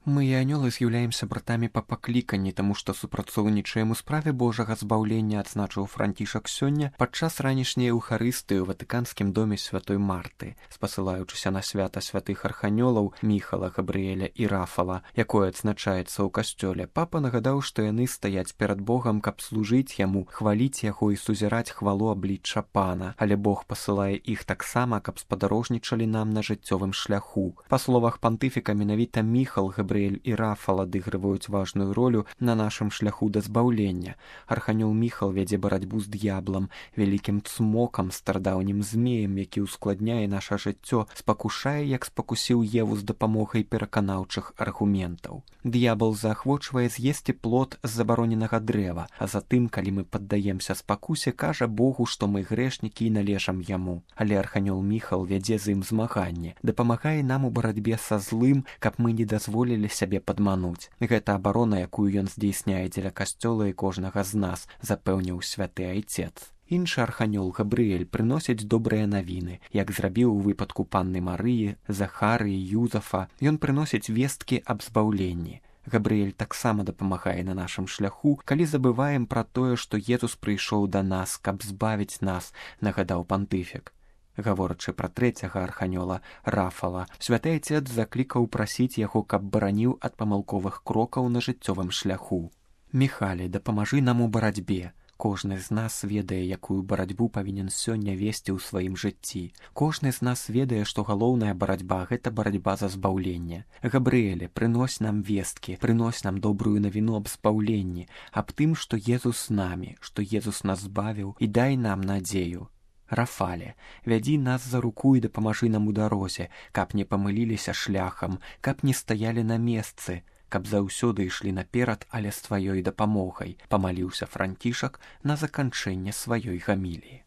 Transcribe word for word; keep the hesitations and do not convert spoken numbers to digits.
Мы і анёлы з'яўляемся братамі па пакліканні, таму што супрацоўнічаем у справе Божага збаўлення, адзначыў Францішак сёння падчас ранішняй эўхарыстыі ў ватыканскім доме святой Марты, спасылаючыся на свята святых арханёлаў Міхала, Габрыэля і Рафала, якое адзначаецца ў касцёле. Папа нагадаў, што яны стаяць перад Богам, каб служыць яму, хваліць яго і сузіраць хвалу аблічча Пана, але Бог пасылае іх таксама, каб спадарожнічалі нам на жыццёвым шляху. Па словах пантыфіка, менавіта Міхал, Габрыэль і Рафал адыгрываюць важную ролю на нашым шляху да збаўлення. Арханёл Міхал вядзе барацьбу з д'яблам, вялікім цмокам, старадаўнім змеем, які ўскладняе наша жыццё, спакушае, як спакусіў Еву з дапамогай пераканаўчых аргументаў. Д'ябал заахвочвае з'есці плод з забароненага дрэва, а затым, калі мы паддаемся спакусе, кажа Богу, што мы грэшнікі і належам яму. Але арханёл Міхал вядзе з ім змаганне, дапамагае нам у барацьбе са злым, каб мы не дазволілі сябе падмануць. Гэта абарона, якую ён здзейсняе дзеля касцёла і кожнага з нас, запэўніў святы айцец. Іншы арханёл Габрыэль прыносіць добрыя навіны, як зрабіў у выпадку панны Марыі, Захарыі, Юзафа. Ён прыносіць весткі аб збаўленні. Габрыэль таксама дапамагае на нашым шляху, калі забываем пра тое, што Езус прыйшоў да нас, каб збавіць нас, нагадаў пантыфік. Гаворачы пра трэцяга арханёла Рафала, святы айцец заклікаў прасіць яго, каб бараніў ад памылковых крокаў на жыццёвым шляху. Міхале, дапамажы нам у барацьбе. Кожны з нас ведае, якую барацьбу павінен сёння весці ў сваім жыцці. Кожны з нас ведае, што галоўная барацьба – гэта барацьба за збаўленне. Габрыэле, прынось нам весткі, прынось нам добрую навіну аб збаўленні, аб тым, што Езус з намі, што Езус нас збавіў, і дай нам надзею. Рафале, вядзі нас за руку і дапамажы нам у дарозе, каб не памыліліся шляхам, каб не стаялі на месцы, каб заўсёды ішлі наперад, але з тваёй дапамогай, памаліўся Францішак на заканчэнне сваёй гаміліі.